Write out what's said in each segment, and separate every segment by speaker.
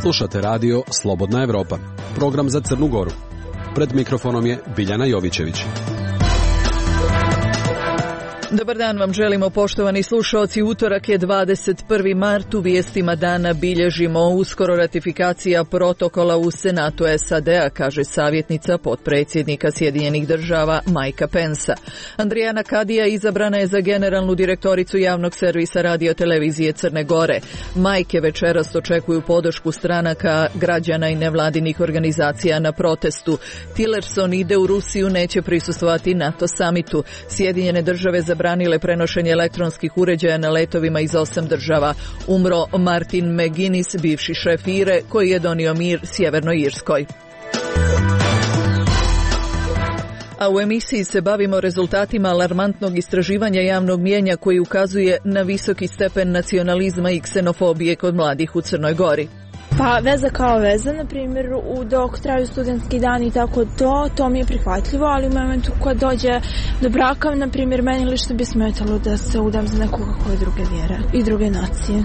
Speaker 1: Slušate radio Slobodna Evropa, program za Crnu Goru. Pred mikrofonom je Biljana Jovićević.
Speaker 2: Dobar dan vam želimo, poštovani slušaoci. Utorak je 21. mart. U vijestima dana bilježimo uskoro ratifikacija protokola u Senatu SAD-a, kaže savjetnica potpredsjednika Sjedinjenih država Mikea Pensa. Andrijana Kadija izabrana je za generalnu direktoricu javnog servisa radio-televizije Crne Gore. Majke večeras očekuju podršku stranaka, građana i nevladinih organizacija na protestu. Tillerson ide u Rusiju, neće prisustvovati NATO samitu. Sjedinjene države zabranile prenošenje elektronskih uređaja na letovima iz 8 država. Umro Martin McGuinness, bivši šef IRE, koji je donio mir Sjevernoj Irskoj. A u emisiji se bavimo rezultatima alarmantnog istraživanja javnog mnijenja koji ukazuje na visoki stepen nacionalizma i ksenofobije kod mladih u Crnoj Gori.
Speaker 3: Pa veza kao veza, na primjer, dok traju studentski dani i tako to mi je prihvatljivo, ali u momentu kad dođe do braka, na primjer, meni lično bi smetalo da se udam za nekoga koje druge vjere i druge nacije.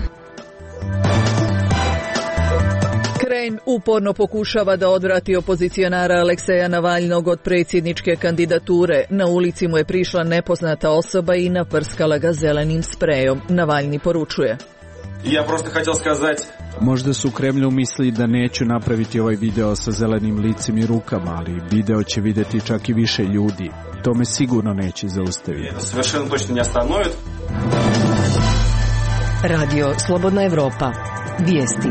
Speaker 2: Kreml uporno pokušava da odvrati opozicionara Alekseja Navalnog od predsjedničke kandidature. Na ulici mu je prišla nepoznata osoba i naprskala ga zelenim sprejom. Navalni poručuje:
Speaker 4: Ja prosto htio skazati.
Speaker 5: Možda su u Kremlju mislili da neću napraviti ovaj video sa zelenim licem i rukama, ali video će vidjeti čak i više ljudi. To me sigurno neće zaustaviti.
Speaker 4: Совершенно точно не остановит.
Speaker 6: Radio Slobodna Evropa. Vijesti.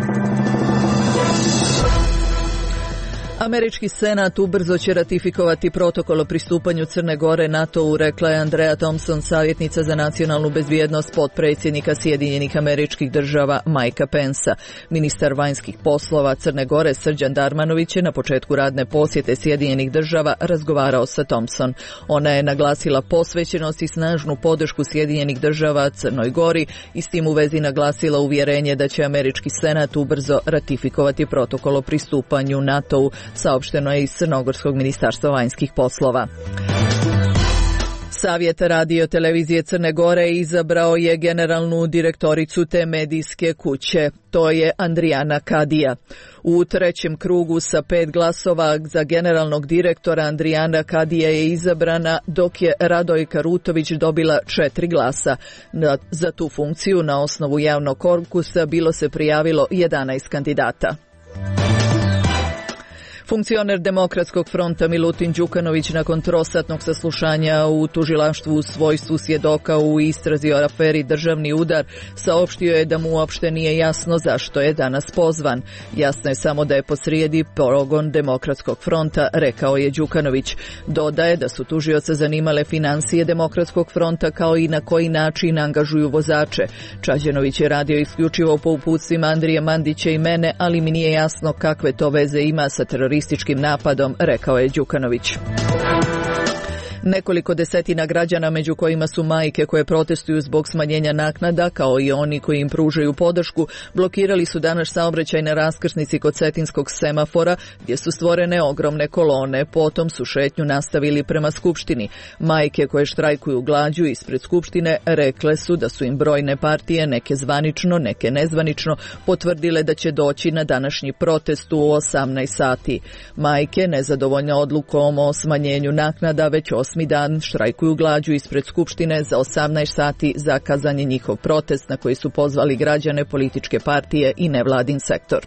Speaker 2: Američki senat ubrzo će ratifikovati protokol o pristupanju Crne Gore NATO-u, rekla je Andrea Thompson, savjetnica za nacionalnu bezbjednost potpredsjednika Sjedinjenih Američkih Država Mikea Pensa. Ministar vanjskih poslova Crne Gore Srđan Darmanović je na početku radne posjete Sjedinjenih Država razgovarao sa Thompson. Ona je naglasila posvećenost i snažnu podršku Sjedinjenih Država Crnoj Gori i s tim u vezi naglasila uvjerenje da će Američki senat ubrzo ratifikovati protokol o pristupanju NATO-u, saopšteno je iz Crnogorskog ministarstva vanjskih poslova. Savjet radio-televizije Crne Gore izabrao je generalnu direktoricu te medijske kuće. To je Andrijana Kadija. U trećem krugu sa 5 glasova za generalnog direktora Andrijana Kadija je izabrana, dok je Radojka Rutović dobila 4 glasa. Za tu funkciju na osnovu javnog konkursa bilo se prijavilo 11 kandidata. Funkcioner Demokratskog fronta Milutin Đukanović nakon trosatnog saslušanja u tužilaštvu u svojstvu svjedoka u istrazi o aferi Državni udar saopštio je da mu uopšte nije jasno zašto je danas pozvan. Jasno je samo da je posrijedi progon Demokratskog fronta, rekao je Đukanović. Dodaje da su tužioca zanimale financije Demokratskog fronta kao i na koji način angažuju vozače. Čađanović je radio isključivo po uputstvima Andrije Mandića i mene, ali mi nije jasno kakve to veze ima sa terorističkim napadom, rekao je Đukanović. Nekoliko desetina građana, među kojima su majke koje protestuju zbog smanjenja naknada, kao i oni koji im pružaju podršku, blokirali su danas saobraćaj na raskrsnici kod Cetinskog semafora, gdje su stvorene ogromne kolone. Potom su šetnju nastavili prema Skupštini. Majke koje štrajkuju glađu ispred Skupštine rekle su da su im brojne partije, neke zvanično, neke nezvanično, potvrdile da će doći na današnji protest u 18 sati. Majke, nezadovoljne odlukom o smanjenju naknada, već 8. dan štrajkuju glađu ispred Skupštine. Za 18 sati zakazan je njihov protest na koji su pozvali građane, političke partije i nevladin sektor.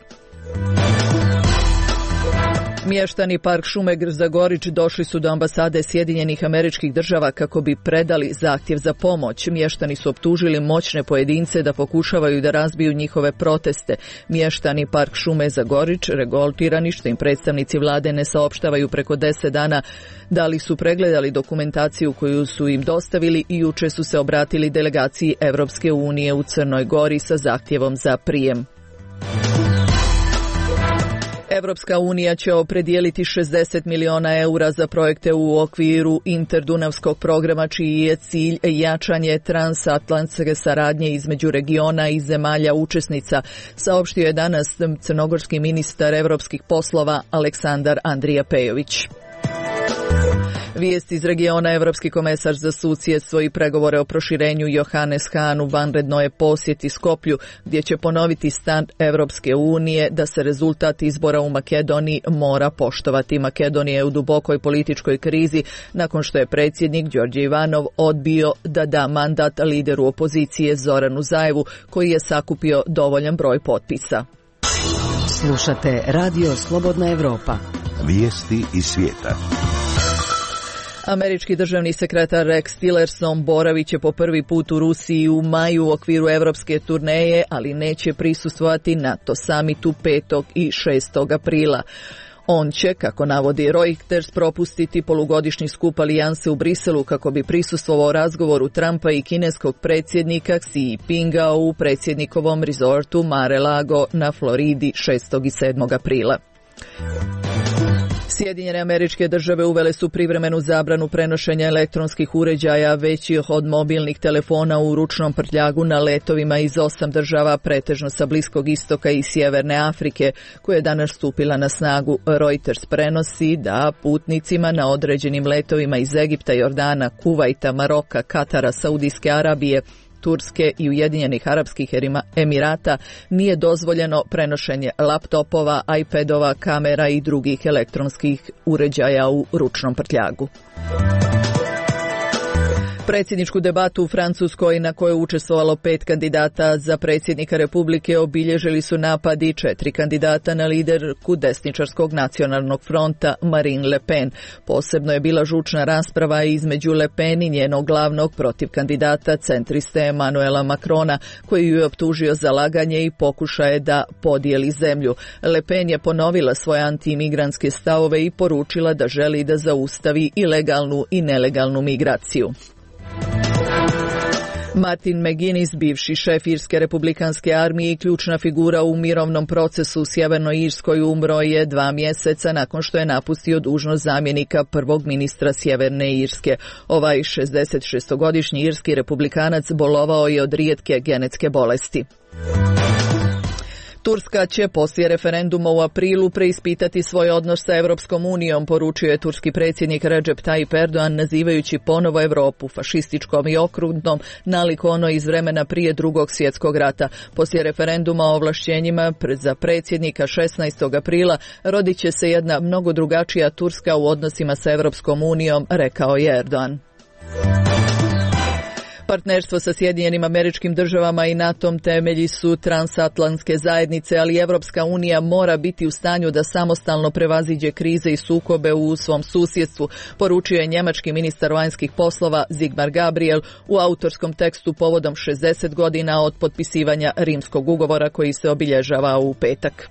Speaker 2: Mještani Park šume Zagorić došli su do ambasade Sjedinjenih Američkih Država kako bi predali zahtjev za pomoć. Mještani su optužili moćne pojedince da pokušavaju da razbiju njihove proteste. Mještani Park šume Zagorić revoltirani što im predstavnici vlade ne saopštavaju preko 10 dana da li su pregledali dokumentaciju koju su im dostavili i juče su se obratili delegaciji Evropske unije u Crnoj Gori sa zahtjevom za prijem. Evropska unija će opredijeliti 60 miliona eura za projekte u okviru interdunavskog programa čiji je cilj jačanje transatlantske saradnje između regiona i zemalja učesnica, saopštio je danas crnogorski ministar evropskih poslova Aleksandar Andrija Pejović. Vijest iz regiona. Evropski komesar za susjedstvo i pregovore o proširenju Johannes Hahn u vanredno je posjeti Skoplju, gdje će ponoviti stav Evropske unije da se rezultat izbora u Makedoniji mora poštovati. Makedonija je u dubokoj političkoj krizi nakon što je predsjednik Đorđe Ivanov odbio da da mandat lideru opozicije Zoranu Zaevu, koji je sakupio dovoljan broj potpisa.
Speaker 6: Slušate Radio Slobodna Evropa.
Speaker 7: Vijesti iz svijeta.
Speaker 2: Američki državni sekretar Rex Tillerson boravit će po prvi put u Rusiji u maju u okviru evropske turneje, ali neće prisustvovati NATO samitu 5. i 6. aprila. On će, kako navodi Reuters, propustiti polugodišnji skup alijanse u Briselu kako bi prisustvovao razgovoru Trumpa i kineskog predsjednika Xi Jinpinga u predsjednikovom rezortu Mar-a-Lago na Floridi 6. i 7. aprila. Sjedinjene Američke Države uvele su privremenu zabranu prenošenja elektronskih uređaja većih od mobilnih telefona u ručnom prtljagu na letovima iz 8 država, pretežno sa Bliskog istoka i Sjeverne Afrike, koja je danas stupila na snagu. Reuters prenosi da putnicima na određenim letovima iz Egipta, Jordana, Kuvajta, Maroka, Katara, Saudijske Arabije, Turske i Ujedinjenih Arapskih Emirata nije dozvoljeno prenošenje laptopova, iPadova, kamera i drugih elektronskih uređaja u ručnom prtljagu. Predsjedničku debatu u Francuskoj, na kojoj je učestvovalo 5 kandidata za predsjednika Republike, obilježili su napadi 4 kandidata na liderku desničarskog nacionalnog fronta Marine Le Pen. Posebno je bila žučna rasprava između Le Pen i njenog glavnog protiv kandidata centriste Emmanuela Macrona, koji ju je optužio za laganje i pokušaje da podijeli zemlju. Le Pen je ponovila svoje antiimigrantske stavove i poručila da želi da zaustavi ilegalnu i nelegalnu migraciju. Martin McGuinness, bivši šef Irske republikanske armije i ključna figura u mirovnom procesu u Sjevernoj Irskoj, umro je 2 mjeseca nakon što je napustio dužnost zamjenika prvog ministra Sjeverne Irske. Ovaj 66-godišnji irski republikanac bolovao je od rijetke genetske bolesti. Turska će poslije referenduma u aprilu preispitati svoj odnos sa Evropskom unijom, poručio je turski predsjednik Recep Tayyip Erdogan, nazivajući ponovo Europu fašističkom i okrutnom, nalik ono iz vremena prije Drugog svjetskog rata. Poslije referenduma o ovlašćenjima za predsjednika 16. aprila rodit će se jedna mnogo drugačija Turska u odnosima sa Evropskom unijom, rekao je Erdogan. Partnerstvo sa Sjedinjenim Američkim Državama i NATO-om temelji su transatlantske zajednice, ali Evropska unija mora biti u stanju da samostalno prevaziđe krize i sukobe u svom susjedstvu, poručio je njemački ministar vanjskih poslova Sigmar Gabriel u autorskom tekstu povodom 60 godina od potpisivanja Rimskog ugovora koji se obilježava u petak.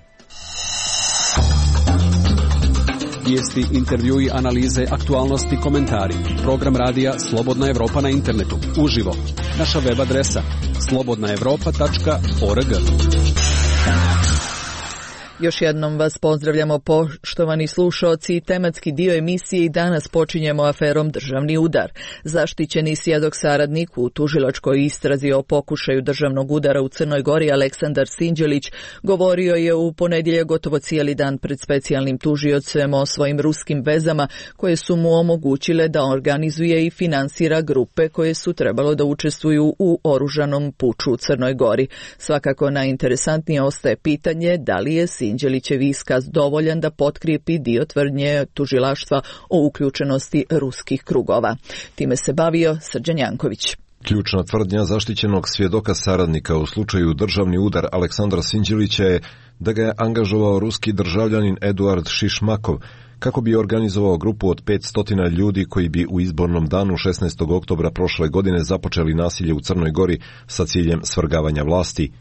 Speaker 1: Vijesti, intervjui, analize, aktualnosti, komentari. Program radija Slobodna Evropa na internetu. Uživo. Naša web adresa slobodnaevropa.org.
Speaker 2: Još jednom vas pozdravljamo, poštovani slušaoci. Tematski dio emisije i danas počinjemo aferom Državni udar. Zaštićeni svjedok saradnik u tužilačkoj istrazi o pokušaju državnog udara u Crnoj Gori Aleksandar Sinđelić govorio je u ponedjeljak gotovo cijeli dan pred specijalnim tužiocem o svojim ruskim vezama koje su mu omogućile da organizuje i finansira grupe koje su trebalo da učestvuju u oružanom puču u Crnoj Gori. Svakako najinteresantnije ostaje pitanje da li je Sinđelićev iskaz dovoljan da potkrijepi dio tvrdnje tužilaštva o uključenosti ruskih krugova. Time se bavio Srđan Janković.
Speaker 8: Ključna tvrdnja zaštićenog svjedoka saradnika u slučaju državni udar Aleksandra Sinđelića je da ga je angažovao ruski državljanin Eduard Šišmakov kako bi organizovao grupu od 500 ljudi koji bi u izbornom danu 16. oktobra prošle godine započeli nasilje u Crnoj Gori sa ciljem svrgavanja vlasti.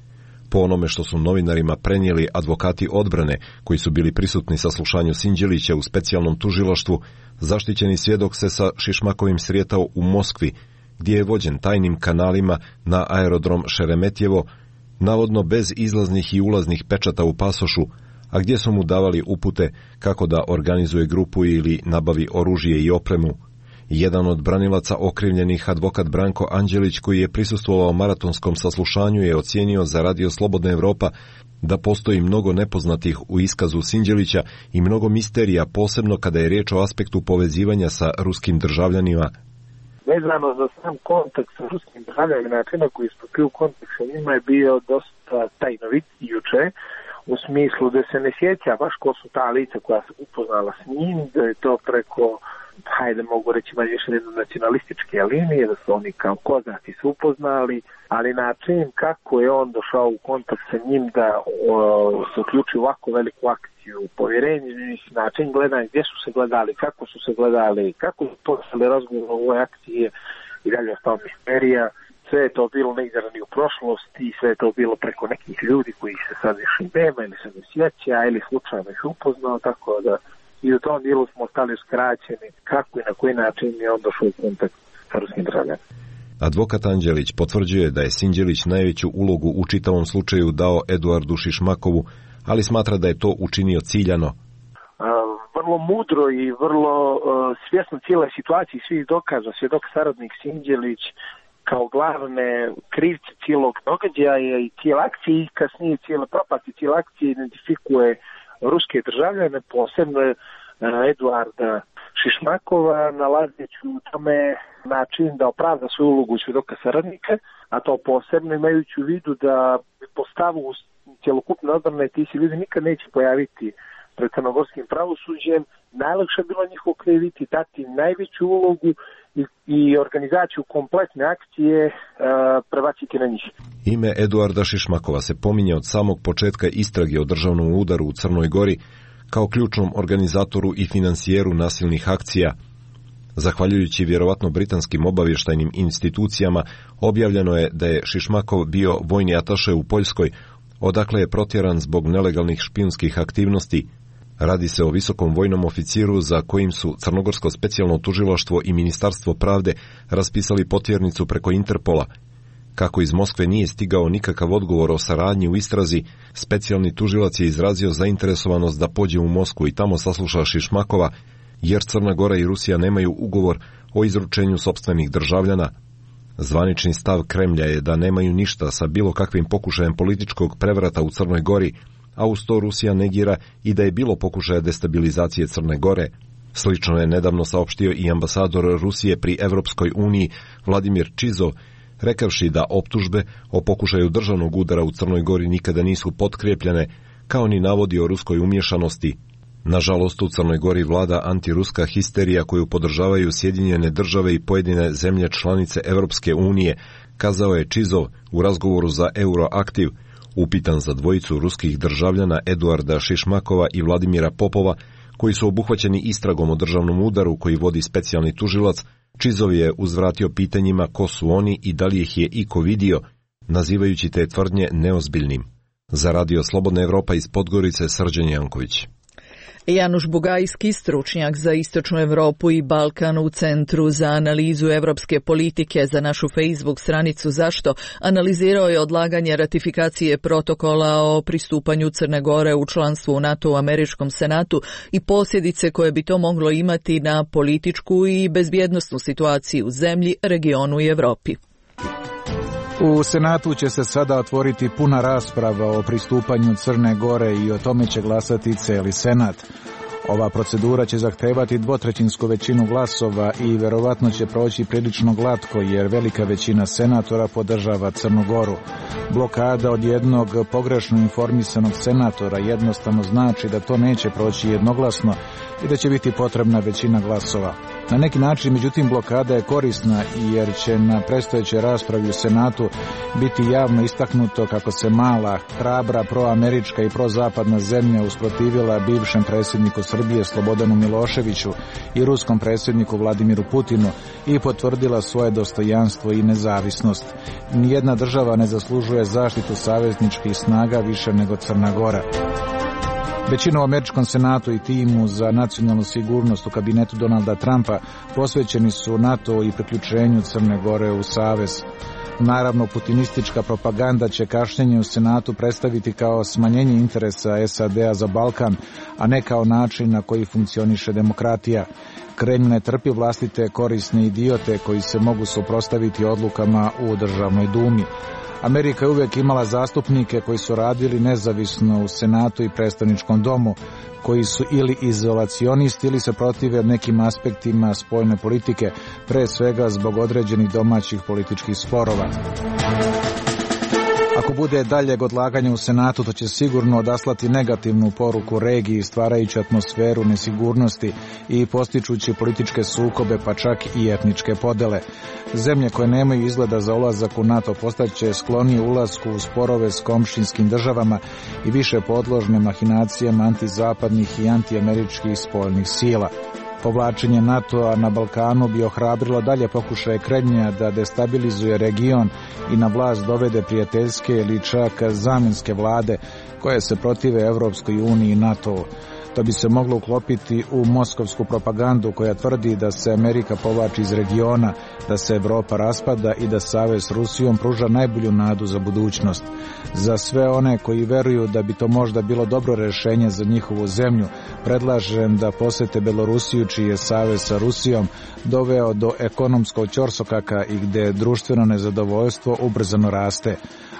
Speaker 8: Po onome što su novinarima prenijeli advokati odbrane koji su bili prisutni sa slušanju Sinđelića u specijalnom tužilaštvu, zaštićeni svjedok se sa Šišmakovim sretao u Moskvi, gdje je vođen tajnim kanalima na aerodrom Šeremetjevo, navodno bez izlaznih i ulaznih pečata u pasošu, a gdje su mu davali upute kako da organizuje grupu ili nabavi oružje i opremu. Jedan od branilaca okrivljenih, advokat Branko Anđelić, koji je prisustvovao maratonskom saslušanju, je ocijenio za Radio Slobodna Evropa da postoji mnogo nepoznatih u iskazu Sinđelića i mnogo misterija, posebno kada je riječ o aspektu povezivanja sa ruskim državljanima.
Speaker 9: Vezano za sam kontakt sa ruskim državljanima, način na koji je stupio kontakt sa njima je bio dosta tajnovit juče, u smislu da se ne sjeća baš ko su ta lica koja se upoznala s njim, da je to preko, hajde mogu reći manje više nacionalističke linije, da su oni kao kozaci se upoznali, ali način kako je on došao u kontakt sa njim da se uključi u ovako veliku akciju, povjerenje, način gledanja, gdje su se gledali, kako su se gledali, kako su počeli razgovor o ovoj akciji i dalje ostao misterija. Sve je to bilo neizrani u prošlosti, sve je to bilo preko nekih ljudi koji se sad više nema ili se ne sjeća ili slučajno ih upoznao, tako da i u tom dijelu smo ostali uskraćeni kako i na koji način je on došao u kontakt sa ruskim državljanima.
Speaker 8: Advokat Anđelić potvrđuje da je Sinđelić najveću ulogu u čitavom slučaju dao Eduardu Šišmakovu, ali smatra da je to učinio ciljano.
Speaker 9: Vrlo mudro i vrlo svjesno cijele situacije i svih dokaza, svjedok saradnik Sinđelić kao glavne krivce cijelog događaja i cijele akcije i kasnije cijele propasti cijele akcije identifikuje ruske državljane, posebno Eduarda Šišmakova, nalazeći u tome način da opravda svoju ulogu svjedoka saradnika, a to posebno imajući u vidu da po stavu cjelokupne odbrane ti se ljudi nikad neće pojaviti pred crnogorskim pravosuđem, najlakše je bilo njih okriviti, dati najveću ulogu i organizaciju kompletne akcije prebaciti na njih.
Speaker 8: Ime Eduarda Šišmakova se pominje od samog početka istrage o državnom udaru u Crnoj Gori kao ključnom organizatoru i financijeru nasilnih akcija. Zahvaljujući vjerovatno britanskim obavještajnim institucijama, objavljeno je da je Šišmakov bio vojni ataše u Poljskoj, odakle je protjeran zbog nelegalnih špijunskih aktivnosti. Radi se o visokom vojnom oficiru za kojim su Crnogorsko specijalno tužilaštvo i Ministarstvo pravde raspisali potjernicu preko Interpola. Kako iz Moskve nije stigao nikakav odgovor o saradnji u istrazi, specijalni tužilac je izrazio zainteresovanost da pođe u Moskvu i tamo sasluša Šišmakova, jer Crna Gora i Rusija nemaju ugovor o izručenju sopstvenih državljana. Zvanični stav Kremlja je da nemaju ništa sa bilo kakvim pokušajem političkog prevrata u Crnoj Gori, a uz to Rusija negira i da je bilo pokušaja destabilizacije Crne Gore. Slično je nedavno saopštio i ambasador Rusije pri Evropskoj uniji Vladimir Čizov, rekavši da optužbe o pokušaju državnog udara u Crnoj Gori nikada nisu potkrijepljene, kao ni navodi o ruskoj umješanosti. Nažalost, u Crnoj Gori vlada antiruska histerija koju podržavaju Sjedinjene države i pojedine zemlje članice Evropske unije, kazao je Čizov u razgovoru za Euroaktiv, upitan za dvojicu ruskih državljana Eduarda Šišmakova i Vladimira Popova, koji su obuhvaćeni istragom o državnom udaru koji vodi specijalni tužilac. Čizov je uzvratio pitanjima ko su oni i da li ih je iko vidio, nazivajući te tvrdnje neozbiljnim. Za Radio Slobodna Evropa iz Podgorice, Srđan Janković.
Speaker 2: Januš Bugajski, stručnjak za Istočnu Europu i Balkan u Centru za analizu evropske politike za našu Facebook stranicu Zašto, analizirao je odlaganje ratifikacije protokola o pristupanju Crne Gore u članstvu u NATO u Američkom senatu i posljedice koje bi to moglo imati na političku i bezbjednosnu situaciju u zemlji, regionu i Europi.
Speaker 10: U Senatu će se sada otvoriti puna rasprava o pristupanju Crne Gore i o tome će glasati cijeli Senat. Ova procedura će zahtevati dvotrećinsku većinu glasova i verovatno će proći prilično glatko jer velika većina senatora podržava Crnu Goru. Blokada od jednog pogrešno informisanog senatora jednostavno znači da to neće proći jednoglasno i da će biti potrebna većina glasova. Na neki način, međutim, blokada je korisna jer će na predstojećoj raspravi u Senatu biti javno istaknuto kako se mala, hrabra, proamerička i prozapadna zemlja usprotivila bivšem predsjedniku Srbije Slobodanu Miloševiću i ruskom predsjedniku Vladimiru Putinu i potvrdila svoje dostojanstvo i nezavisnost. Nijedna država ne zaslužuje zaštitu savezničkih snaga više nego Crna Gora. Većina u Američkom senatu i timu za nacionalnu sigurnost u kabinetu Donalda Trumpa posvećeni su NATO i priključenju Crne Gore u savez. Naravno, putinistička propaganda će kašnjenje u Senatu predstaviti kao smanjenje interesa SAD-a za Balkan, a ne kao način na koji funkcioniše demokratija. Kremlj ne trpi vlastite korisne idiote koji se mogu suprotstaviti odlukama u Državnoj dumi. Amerika je uvijek imala zastupnike koji su radili nezavisno u Senatu i predstavničkom domu, koji su ili izolacionisti ili se protive nekim aspektima spoljne politike, pre svega zbog određenih domaćih političkih sporova. Ako bude daljeg odlaganja u Senatu, to će sigurno odaslati negativnu poruku regiji, stvarajući atmosferu nesigurnosti i postičući političke sukobe, pa čak i etničke podele. Zemlje koje nemaju izgleda za ulazak u NATO postaće sklonije ulasku u sporove s komšinskim državama i više podložne mahinacijama antizapadnih i antiameričkih spoljnih sila. Povlačenje NATO-a na Balkanu bi ohrabrilo dalje pokušaje Kremlja da destabilizuje region i na vlast dovede prijateljske ili čak zamjenske vlade koje se protive Evropskoj uniji i NATO-u. To bi se moglo uklopiti u moskovsku propagandu koja tvrdi da se Amerika povlači iz regiona, da se Evropa raspada i da savez s Rusijom pruža najbolju nadu za budućnost. Za sve one koji veruju da bi to možda bilo dobro rješenje za njihovu zemlju, predlažem da posete Belorusiju, čiji je savez sa Rusijom doveo do ekonomskog ćorsokaka i gde društveno nezadovoljstvo ubrzano raste.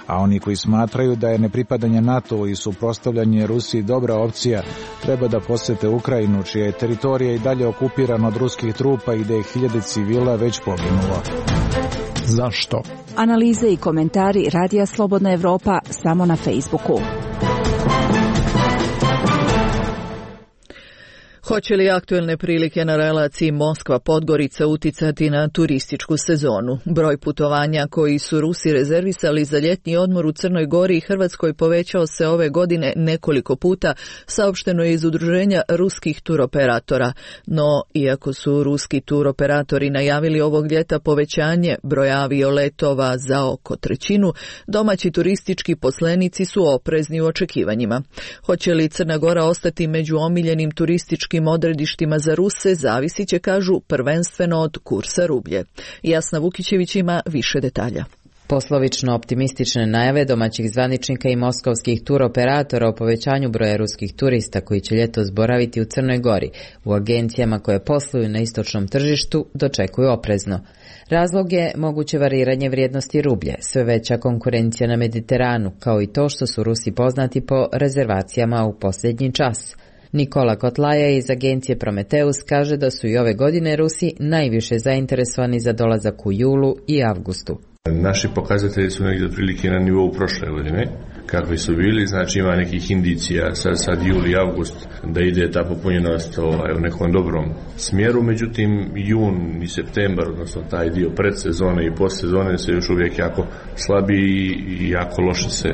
Speaker 10: A oni koji smatraju da je nepripadanje NATO i suprotstavljanje Rusiji dobra opcija, treba da posete Ukrajinu, čija je teritorija i dalje okupirana od ruskih trupa i da je 1000 civila već poginulo. Zašto?
Speaker 11: Analize i komentari Radija Slobodna Evropa samo na Facebooku.
Speaker 2: Hoće li aktuelne prilike na relaciji Moskva-Podgorica uticati na turističku sezonu? Broj putovanja koji su Rusi rezervisali za ljetni odmor u Crnoj Gori i Hrvatskoj povećao se ove godine nekoliko puta, saopšteno je iz Udruženja ruskih turoperatora. No, iako su ruski turoperatori najavili ovog ljeta povećanje broja avioletova za oko 1/3, domaći turistički poslenici su oprezni u očekivanjima. Hoće li Crna Gora ostati među omiljenim turističkim odredištima za Ruse, zavisit će, kažu, prvenstveno od kursa rublje. Jasna Vukićević ima više detalja.
Speaker 12: Poslovično optimistične najave domaćih zvaničnika i moskovskih turoperatora o povećanju broja ruskih turista koji će ljetos boraviti u Crnoj Gori u agencijama koje posluju na istočnom tržištu dočekuju oprezno. Razlog je moguće variranje vrijednosti rublje, sve veća konkurencija na Mediteranu, kao i to što su Rusi poznati po rezervacijama u posljednji čas. Nikola Kotlaja iz agencije Prometeus kaže da su i ove godine Rusi najviše zainteresovani za dolazak u julu i avgustu.
Speaker 13: Naši pokazatelji su negdje otprilike na nivou prošle godine, kakvi su bili, znači ima nekih indicija sad jul i avgust da ide ta popunjenost u nekom dobrom smjeru, međutim jun i septembar, odnosno taj dio predsezone i postsezone se još uvijek jako slabi i jako loše se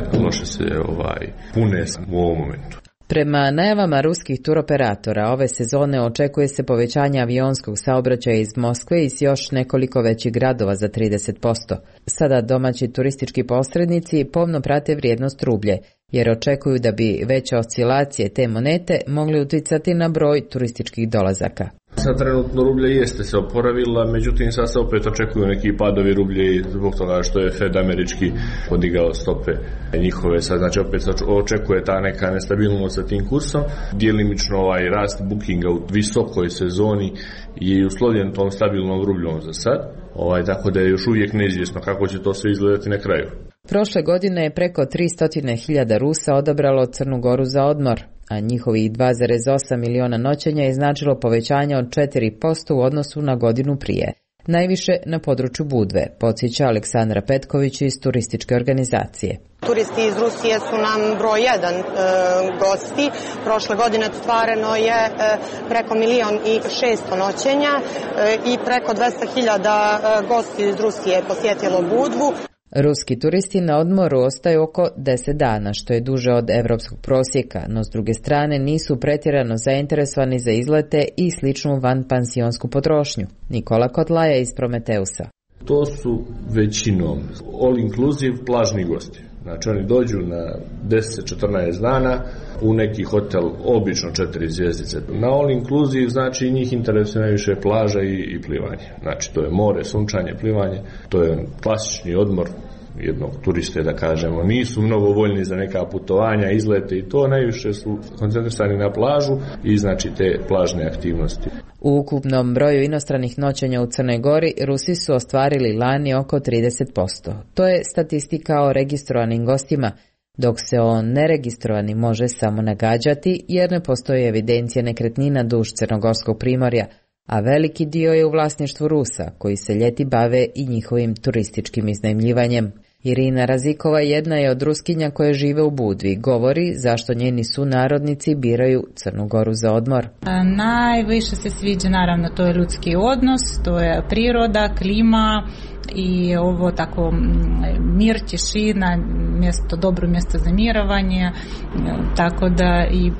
Speaker 13: pune u ovom momentu.
Speaker 12: Prema najavama ruskih turoperatora, ove sezone očekuje se povećanje avionskog saobraćaja iz Moskve i iz još nekoliko većih gradova za 30%. Sada domaći turistički posrednici pomno prate vrijednost rublje, jer očekuju da bi veće oscilacije te monete mogli uticati na broj turističkih dolazaka.
Speaker 13: Sad trenutno rublje jeste se oporavila, međutim sad se opet očekuju neki padovi rublje zbog toga što je Fed američki podigao stope njihove. Sad znači opet se očekuje ta neka nestabilnost sa tim kursom. Djelimično rast bookinga u visokoj sezoni je uslovljen tom stabilnom rubljom za sad. Tako da je još uvijek neizvjesno kako će to sve izgledati na kraju.
Speaker 12: Prošle godine je preko 300.000 Rusa odabralo Crnu Goru za odmor, a njihovih 2,8 miliona noćenja je značilo povećanje od 4% u odnosu na godinu prije. Najviše na području Budve, podsjeća Aleksandra Petković iz turističke organizacije.
Speaker 14: Turisti iz Rusije su nam broj 1 gosti. Prošle godine ostvareno je preko 1.600.000 noćenja i preko 200.000 gosti iz Rusije posjetilo Budvu.
Speaker 12: Ruski turisti na odmoru ostaju oko 10 dana, što je duže od evropskog prosjeka, no s druge strane nisu pretjerano zainteresovani za izlete i sličnu vanpansionsku potrošnju. Nikola Kotlaja iz Prometeusa.
Speaker 13: To su većinom all inclusive plažni gosti. Znači oni dođu na 10-14 dana u neki hotel, obično 4 zvjezdice. Na all inclusive znači njih interesuje najviše plaža i plivanje. Znači to je more, sunčanje, plivanje, to je klasični odmor jednog turiste, da kažemo. Nisu mnogo voljni za neka putovanja, izlete i to, najviše su koncentrisani na plažu i znači te plažne aktivnosti.
Speaker 12: U ukupnom broju inostranih noćenja u Crnoj Gori Rusi su ostvarili lani oko 30%. To je statistika o registrovanim gostima, dok se o neregistrovanim može samo nagađati jer ne postoji evidencija nekretnina duž Crnogorskog primorja, a veliki dio je u vlasništvu Rusa, koji se ljeti bave i njihovim turističkim iznajmljivanjem. Irina Razikova jedna je od Ruskinja koje žive u Budvi. Govori zašto njeni sunarodnici biraju Crnu Goru za odmor.
Speaker 15: Najviše se sviđa, naravno, to je ljudski odnos, to je priroda, klima i ovo tako mir, tišina, dobro mjesto za mirovanje, tako da i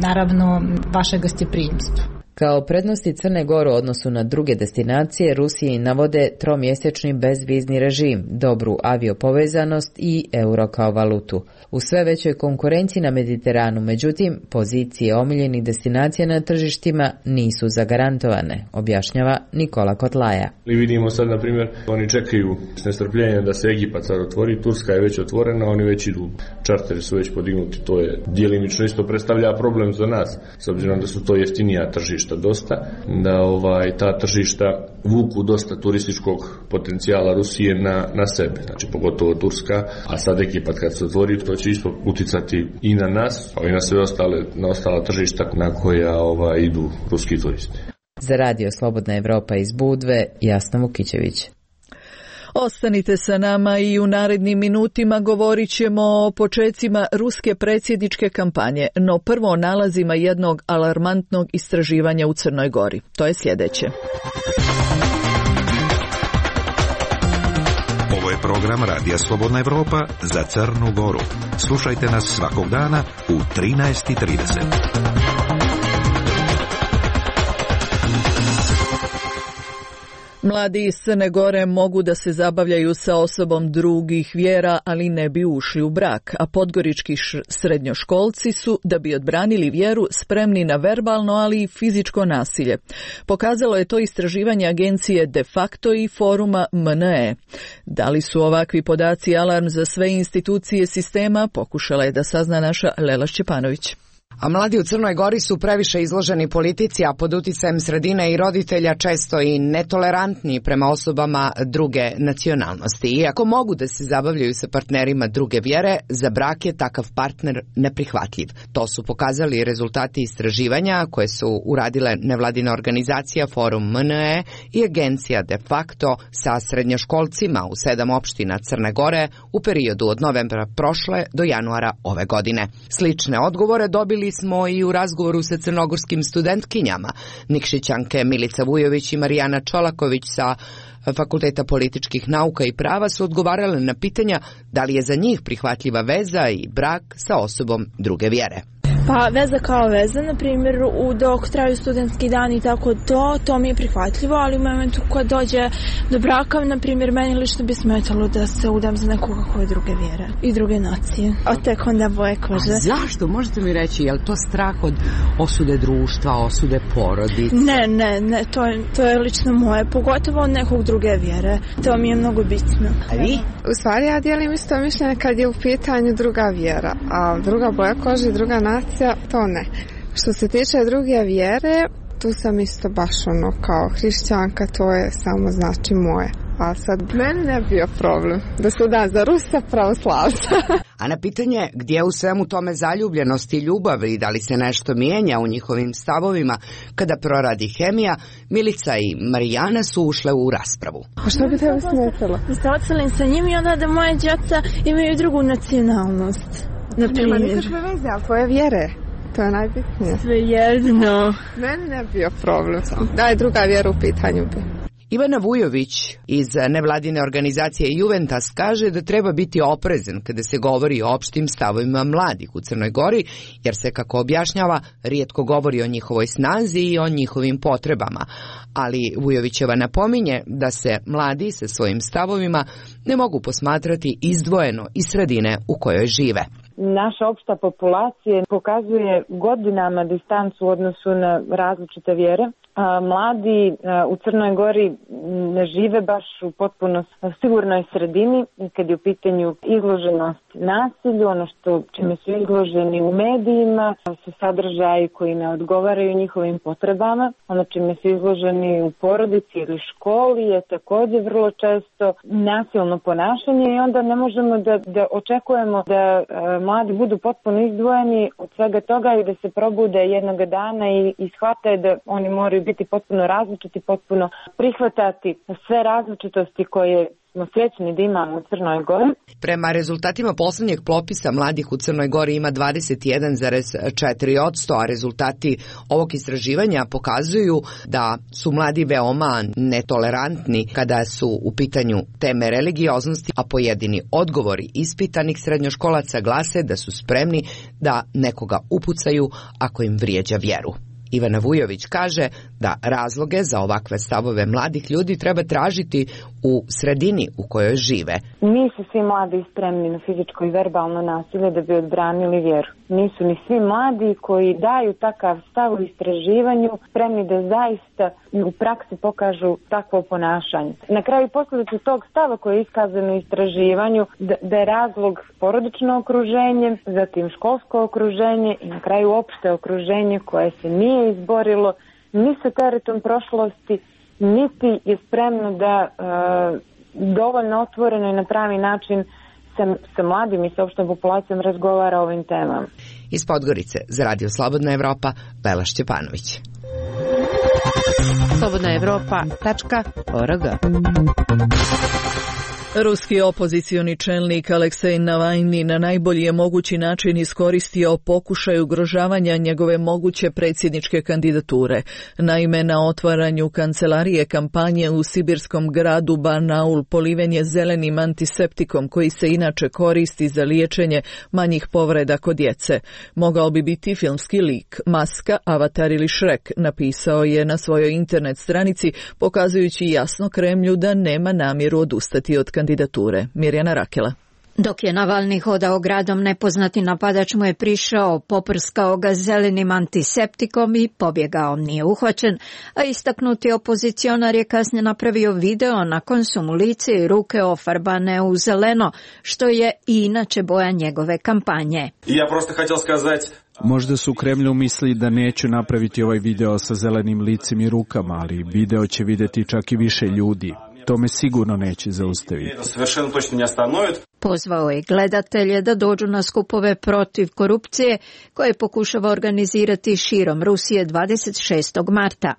Speaker 15: naravno vaše gostoprimstvo.
Speaker 12: Kao prednosti Crne Gore u odnosu na druge destinacije, Rusiji navode tromjesečni bezvizni režim, dobru aviopovezanost i euro kao valutu. U sve većoj konkurenciji na Mediteranu, međutim, pozicije omiljenih destinacija na tržištima nisu zagarantovane, objašnjava Nikola Kotlaja.
Speaker 13: I vidimo sad, na primjer, oni čekaju s nestrpljenjem da se Egipat sad otvori, Turska je već otvorena, oni već idu, čarteri su već podignuti, to je djelimično isto predstavlja problem za nas, s obzirom da su to jeftinija tržišta dosta, da ta tržišta vuku dosta turističkog potencijala Rusije na sebe, znači pogotovo Turska, a sad Egipat kad se otvori, to će isto uticati i na nas, a i na sve ostala tržišta na koja idu ruski turisti.
Speaker 12: Za Radio Slobodna Evropa iz Budve, Jasna Vukićević.
Speaker 2: Ostanite sa nama i u narednim minutima govorit ćemo o počecima ruske predsjedničke kampanje, no prvo o nalazima jednog alarmantnog istraživanja u Crnoj Gori. To je sljedeće.
Speaker 7: Ovo je program Radija Slobodna Evropa za Crnu Goru. Slušajte nas svakog dana u 13:30.
Speaker 2: Mladi iz Crne Gore mogu da se zabavljaju sa osobom drugih vjera, ali ne bi ušli u brak, a podgorički srednjoškolci su, da bi odbranili vjeru, spremni na verbalno, ali i fizičko nasilje. Pokazalo je to istraživanje agencije De facto i foruma MNE. Da li su ovakvi podaci alarm za sve institucije sistema, pokušala je da sazna naša Lela Šćepanović.
Speaker 16: A mladi u Crnoj Gori su previše izloženi politici, a pod uticajem sredine i roditelja često i netolerantni prema osobama druge nacionalnosti. Iako mogu da se zabavljaju sa partnerima druge vjere, za brak je takav partner neprihvatljiv. To su pokazali rezultati istraživanja koje su uradile nevladina organizacija Forum MNE i agencija De facto sa srednjoškolcima u 7 opština Crne Gore u periodu od novembra prošle do januara ove godine. Slične odgovore dobili smo i u razgovoru sa crnogorskim studentkinjama. Nikšićanke Milica Vujović i Marijana Čolaković sa Fakulteta političkih nauka i prava su odgovarale na pitanja da li je za njih prihvatljiva veza i brak sa osobom druge vjere.
Speaker 3: Pa veza kao veza, na primjer, dok traju studentski dani i tako to mi je prihvatljivo, ali u momentu kad dođe do braka, na primjer, meni lično bi smetalo da se udam za nekoga koje druge vjere i druge nacije. A tek onda boje kože.
Speaker 6: A zašto? Možete mi reći, je li to strah od osude društva, osude porodice?
Speaker 3: Ne, to je lično moje, pogotovo od nekog druge vjere. To mi je mnogo bitno.
Speaker 6: A vi?
Speaker 17: U stvari ja dijelim isto mišljenje kad je u pitanju druga vjera, a druga boja kože i druga nacija, to ne. Što se tiče druge vjere, tu sam isto baš kao hrišćanka, to je samo znači moje. A sad meni ne bio problem da se udam za Rusa pravoslavca.
Speaker 16: A na pitanje gdje u svemu tome zaljubljenost i ljubav i da li se nešto mijenja u njihovim stavovima kada proradi hemija, Milica i Marijana su ušle u raspravu.
Speaker 17: A što bi tebi smetalo?
Speaker 3: Da se odselim sa njim i onda da moje djeca imaju drugu nacionalnost.
Speaker 17: Nema nikakve veze, ali tvoje vjere. To je najbitnije.
Speaker 3: Sve jedno.
Speaker 17: Meni ne bio problem. Da je druga vjera u pitanju bi.
Speaker 16: Ivana Vujović iz nevladine organizacije Juventas kaže da treba biti oprezan kada se govori o opštim stavovima mladih u Crnoj Gori, jer se, kako objašnjava, rijetko govori o njihovoj snazi i o njihovim potrebama. Ali Vujovićeva napominje da se mladi sa svojim stavovima ne mogu posmatrati izdvojeno iz sredine u kojoj žive.
Speaker 18: Naša opšta populacija pokazuje godinama distancu u odnosu na različite vjere Mladi u Crnoj Gori ne žive baš u potpuno sigurnoj sredini kad je u pitanju izloženost nasilju, ono čime su izloženi u medijima, su sadržaji koji ne odgovaraju njihovim potrebama, ono čime su izloženi u porodici ili školi je također vrlo često nasilno ponašanje i onda ne možemo da očekujemo da mladi budu potpuno izdvojeni od svega toga i da se probude jednog dana i shvate da oni moraju biti potpuno različiti, potpuno prihvatati sve različitosti koje smo srećni da imamo u Crnoj Gori.
Speaker 16: Prema rezultatima poslednjeg popisa mladih u Crnoj Gori ima 21,4%, a rezultati ovog istraživanja pokazuju da su mladi veoma netolerantni kada su u pitanju teme religioznosti, a pojedini odgovori ispitanih srednjoškolaca glase da su spremni da nekoga upucaju ako im vrijeđa vjeru. Ivana Vujović kaže da razloge za ovakve stavove mladih ljudi treba tražiti u sredini u kojoj žive.
Speaker 18: Nisu svi mladi spremni na fizičko i verbalno nasilje da bi odbranili vjeru. Nisu ni svi mladi koji daju takav stav u istraživanju spremni da zaista u praksi pokažu takvo ponašanje. Na kraju posljedicu tog stava koji je iskazan u istraživanju da je razlog porodično okruženje, zatim školsko okruženje i na kraju opšte okruženje koje se nije izborilo ni sa teretom prošlosti, niti je spremno da dovoljno otvoreno i na pravi način sa mladim i sa opštom populacijom razgovara o ovim temama.
Speaker 16: Iz Podgorice za Radio Slobodna Evropa, Bela Šćepanović.
Speaker 11: slobodnaevropa.org.
Speaker 2: Ruski opozicioni čelnik Aleksej Navajni na najbolji je mogući način iskoristio pokušaj ugrožavanja njegove moguće predsjedničke kandidature. Naime, na otvaranju kancelarije kampanje u sibirskom gradu Barnaul poliven je zelenim antiseptikom koji se inače koristi za liječenje manjih povreda kod djece. Mogao bi biti filmski lik, maska, avatar ili Shrek, napisao je na svojoj internet stranici, pokazujući jasno Kremlju da nema namjeru odustati od kandidature. Mirjana Rakela.
Speaker 19: Dok je Navalni hodao gradom, nepoznati napadač mu je prišao, poprskao ga zelenim antiseptikom i pobjegao. Nije uhvaćen, a istaknuti opozicionar je kasnije napravio video nakon su mu lice i ruke ofarbane u zeleno, što je i inače boja njegove kampanje.
Speaker 4: Ja prosto htio skazati...
Speaker 5: Možda su u Kremlju mislili da neću napraviti ovaj video sa zelenim licem i rukama, ali video će vidjeti čak i više ljudi. To me sigurno neće zaustaviti.
Speaker 19: Pozvao je gledatelje da dođu na skupove protiv korupcije koje pokušava organizirati širom Rusije 26. marta.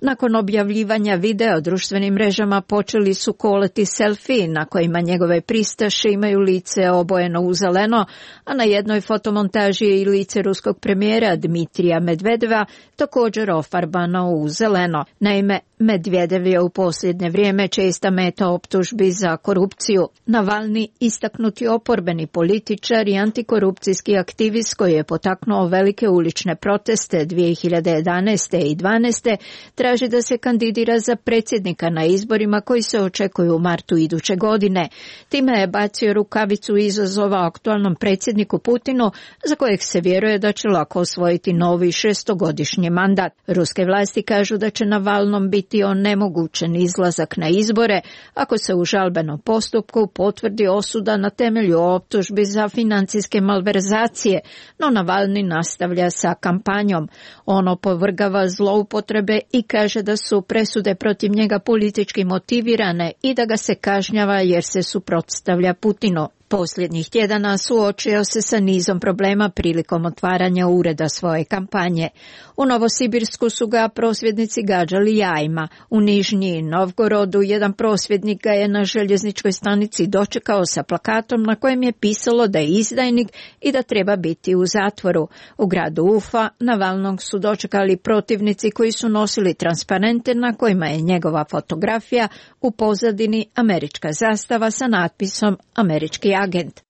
Speaker 19: Nakon objavljivanja videa o društvenim mrežama počeli su koleti selfie na kojima njegove pristaše imaju lice obojeno u zeleno, a na jednoj fotomontaži je i lice ruskog premijera Dmitrija Medvedeva također ofarbano u zeleno. Naime, Medvedev je u posljednje vrijeme česta meta optužbi za korupciju. Navalni, istaknuti oporbeni političar i antikorupcijski aktivist koji je potaknuo velike ulične proteste 2011. i 2012. traži da se kandidira za predsjednika na izborima koji se očekuju u martu iduće godine. Time je bacio rukavicu izazova aktualnom predsjedniku Putinu, za kojeg se vjeruje da će lako osvojiti novi 6-godišnji mandat. Ruske vlasti kažu da će Navalnom biti onemogućen izlazak na izbore ako se u žalbenom postupku potvrdi osuda na temelju optužbi za financijske malverzacije, no Navalni nastavlja sa kampanjom. On opovrgava zloupotrebe i kaže da su presude protiv njega politički motivirane i da ga se kažnjava jer se suprotstavlja Putinu. Posljednjih tjedana suočio se sa nizom problema prilikom otvaranja ureda svoje kampanje. U Novosibirsku su ga prosvjednici gađali jajima. U Nižnji Novgorodu jedan prosvjednik ga je na željezničkoj stanici dočekao sa plakatom na kojem je pisalo da je izdajnik i da treba biti u zatvoru. U gradu Ufa Navalnog su dočekali protivnici koji su nosili transparente na kojima je njegova fotografija, u pozadini američka zastava sa natpisom američki agent.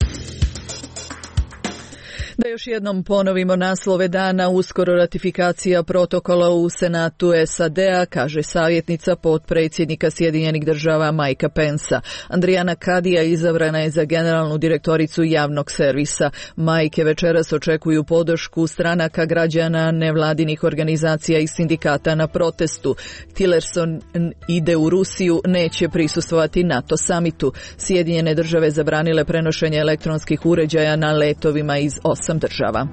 Speaker 2: Da još jednom ponovimo naslove dana, uskoro ratifikacija protokola u Senatu SAD-a, kaže savjetnica potpredsjednika Sjedinjenih država Mikea Pensa. Andrijana Kadija izabrana je za generalnu direktoricu javnog servisa. Mike večeras očekuju podršku stranaka, građana, nevladinih organizacija i sindikata na protestu. Tillerson ide u Rusiju, neće prisustvovati NATO samitu. Sjedinjene države zabranile prenošenje elektronskih uređaja na letovima iz 8 država.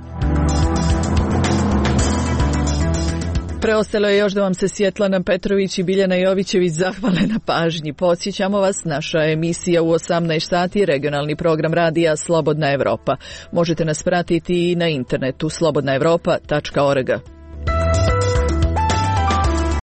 Speaker 2: Preostalo je još da vam se Svjetlana Petrović i Biljana Jovićević zahvale na pažnji. Podsjećamo vas, naša emisija u 18 sati, regionalni program radija Slobodna Evropa. Možete nas pratiti i na internetu slobodnaevropa.org.